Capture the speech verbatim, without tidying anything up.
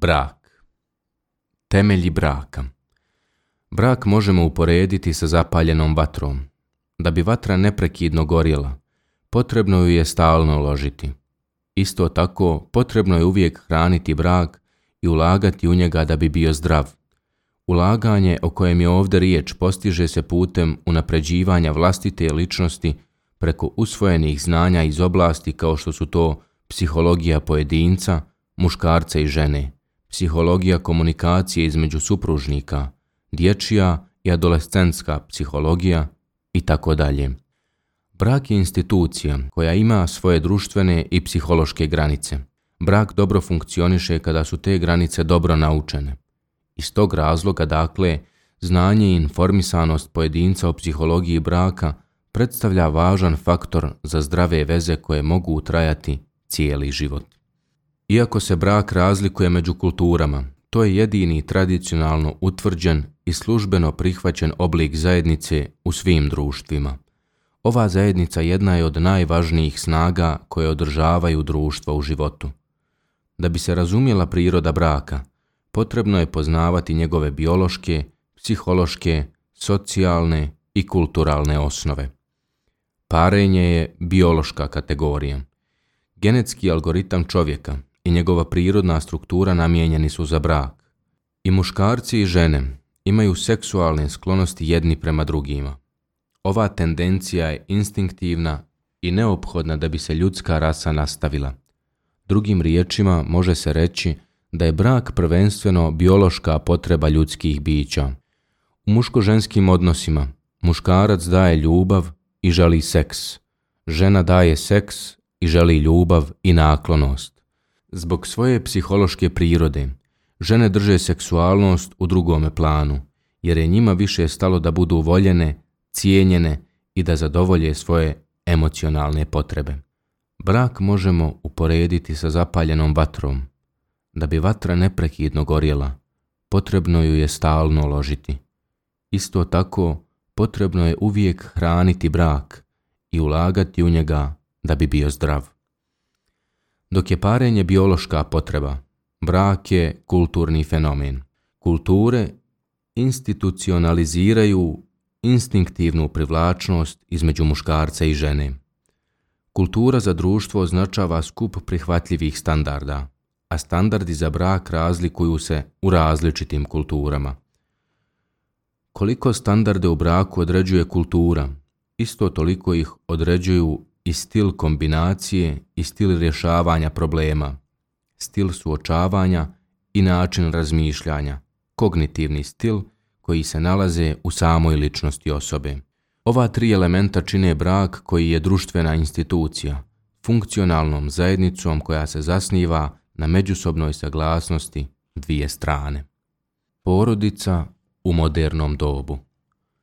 Brak. Temelji braka. Brak možemo uporediti sa zapaljenom vatrom. Da bi vatra neprekidno gorjela, potrebno ju je stalno ložiti. Isto tako, potrebno je uvijek hraniti brak i ulagati u njega da bi bio zdrav. Ulaganje o kojem je ovdje riječ postiže se putem unapređivanja vlastite ličnosti preko usvojenih znanja iz oblasti kao što su to psihologija pojedinca, muškarca i žene, psihologija komunikacije između supružnika, dječja i adolescentska psihologija i tako dalje. Brak je institucija koja ima svoje društvene i psihološke granice. Brak dobro funkcioniše kada su te granice dobro naučene. Iz tog razloga, dakle, znanje i informisanost pojedinca o psihologiji braka predstavlja važan faktor za zdrave veze koje mogu trajati cijeli život. Iako se brak razlikuje među kulturama, to je jedini tradicionalno utvrđen i službeno prihvaćen oblik zajednice u svim društvima. Ova zajednica jedna je od najvažnijih snaga koje održavaju društvo u životu. Da bi se razumjela priroda braka, potrebno je poznavati njegove biološke, psihološke, socijalne i kulturalne osnove. Parenje je biološka kategorija. Genetski algoritam čovjeka i njegova prirodna struktura namijenjeni su za brak. I muškarci i žene imaju seksualne sklonosti jedni prema drugima. Ova tendencija je instinktivna i neophodna da bi se ljudska rasa nastavila. Drugim riječima može se reći da je brak prvenstveno biološka potreba ljudskih bića. U muško-ženskim odnosima muškarac daje ljubav i želi seks. Žena daje seks i želi ljubav i naklonost. Zbog svoje psihološke prirode, žene drže seksualnost u drugome planu, jer je njima više stalo da budu voljene, cijenjene i da zadovolje svoje emocionalne potrebe. Brak možemo uporediti sa zapaljenom vatrom. Da bi vatra neprekidno gorjela, potrebno ju je stalno ložiti. Isto tako, potrebno je uvijek hraniti brak i ulagati u njega da bi bio zdrav. Dok je parenje biološka potreba, brak je kulturni fenomen. Kulture institucionaliziraju instinktivnu privlačnost između muškarca i žene. Kultura za društvo označava skup prihvatljivih standarda, a standardi za brak razlikuju se u različitim kulturama. Koliko standarde u braku određuje kultura, isto toliko ih određuju i stil kombinacije i stil rješavanja problema, stil suočavanja i način razmišljanja, kognitivni stil koji se nalaze u samoj ličnosti osobe. Ova tri elementa čine brak koji je društvena institucija, funkcionalnom zajednicom koja se zasniva na međusobnoj saglasnosti dvije strane. Porodica u modernom dobu.